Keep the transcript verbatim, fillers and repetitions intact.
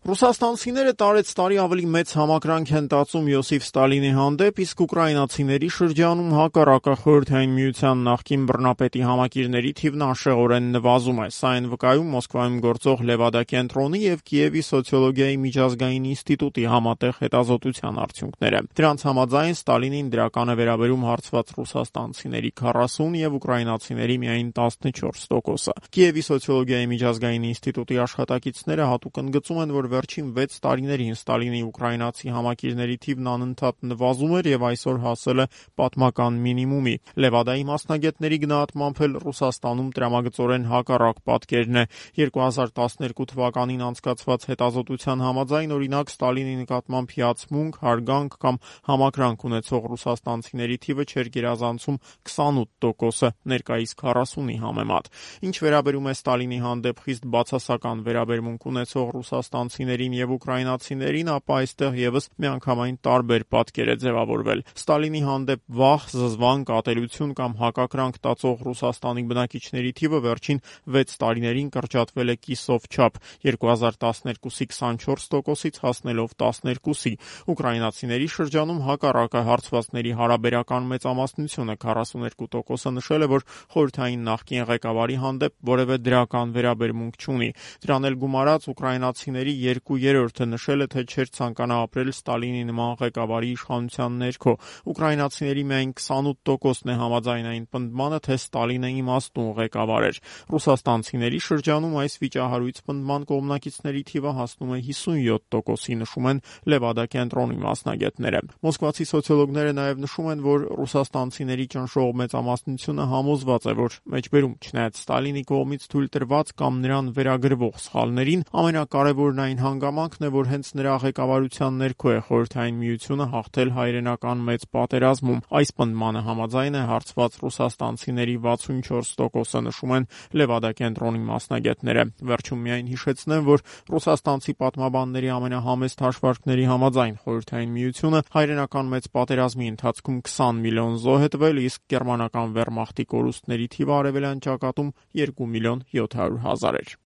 Ռուսաստանցիները տարեց տարի ավելի մեծ համակրանք են տածում Յոսիֆ Ստալինի հանդեպ, իսկ ուկրաինացիների շրջանում հակառակը Խորհրդային Միության նախկին բռնապետի համակիրների թիվն անշեղորեն նվազում է։ Սա են վկայում Մոսկվայում գործող Լևադա կենտրոնի եւ Կիևի սոցիոլոգիայի միջազգային ինստիտուտի համատեղ հետազոտության արդյունքները։ Դրանց համաձայն Ստալինին դրական է վերաբերում հարցված ռուսաստանցիների քառասուն եւ ուկրաինացիների միայն տասնչորս տոկոսը։ Կիևի սոցիոլոգիայի միջազգային ինստիտուտի աշխատակիցները հատուկ ընդգծում են, որ վերջին վեց տարիներին Ստալինի ուկրաինացի համակիրների թիվն անընդհատ նվազում էր եւ այսօր հասել է պատմական մինիմումի։ Լևադայի մասնագետների գնահատմամբ էլ Ռուսաստանում տրամագծորեն հակառակ պատկերն է։ երկու հազար տասներկու թվականին անցկացված հետազոտության համաձայն, օրինակ, Ստալինի նկատմամբ հիացմունք, հարգանք կամ համակրանք ունեցող ռուսաստանցիների թիվը չէր գերազանցում քսանութ տոկոսը, ներկայիս քառասունի համեմատ։ Ինչ վերաբերում է Ստալինի հանդեպ խիստ բացասական վերաբերմունք ունեցող ռուսաստանցիներին եւ ուկրաինացիներին, ապա այստեղ եւս միանգամայն տարբեր պատկեր է ձևավորվել։ Ստալինի հանդեպ վախ, զզվանք, ատելություն կամ հակակրանք տածող Ռուսաստանի բնակիչների թիվը վերջին վեց տարիներին կրճատվել է կիսով չափ՝ երկու հազար տասներկուսի քսանչորս տոկոսից հասնելով տասներկուսի։ Ուկրաինացիների շրջանում հակառակը հարցվածների հարաբերական մեծամասնությունը քառասուներկու տոկոսը նշել է, որ խորհրդային նախկին ղեկավարի հանդեպ որևէ դրական վերաբերմունք չունի։ Դրան էլ գումարած ուկրաինացիների երկու երրորդը նշել է, թե չէր ցանկանա ապրել Ստալինի նման ղեկավարի իշխանության ներքո։ Ուկրաինացիների միայն քսանութ տոկոսն է համաձայն այն պնդմանը, թե Ստալինը իմաստուն ղեկավար էր։ Ռուսաստանցիների շրջանում այս վիճահարույց պնդման կողմնակիցների թիվը հասնում է հիսունյոթ տոկոսի, նշում են Լևադա կենտրոնի մասնագետները։ Մոսկվացի սոցիոլոգները նաև նշում են, որ ռուսաստանցիների ճնշող մեծամասնությունը համոզված է, որ մեջբերում չնայած Ստալինի կողմից թույլ տրված կամ նրան վերագրվող սխալներին, ամենակարևորն այն հանգամանքն է, որ հենց նրա ղեկավարության ներքո է Խորհրդային Միությունը հաղթել հայրենական մեծ պատերազմում։ Այս պնդմանը համաձայն է հարցված ռուսաստանցիների վաթսունչորս տոկոսը, նշում են Լևադա կենտրոնի մասնագետները։ Վերջում միայն հիշեցնեմ, որ ռուսաստանցի պատմաբանների ամենահամեստ հաշվարկների համաձայն Խորհրդային Միությունը հայրենական մեծ պատերազմի ընթացքում քսան միլիոն զոհ է տվել, իսկ գերմանական վերմախտի կորուստների թիվը արևելյան ճակատում երկու միլիոն յոթ հարյուր հազար էր։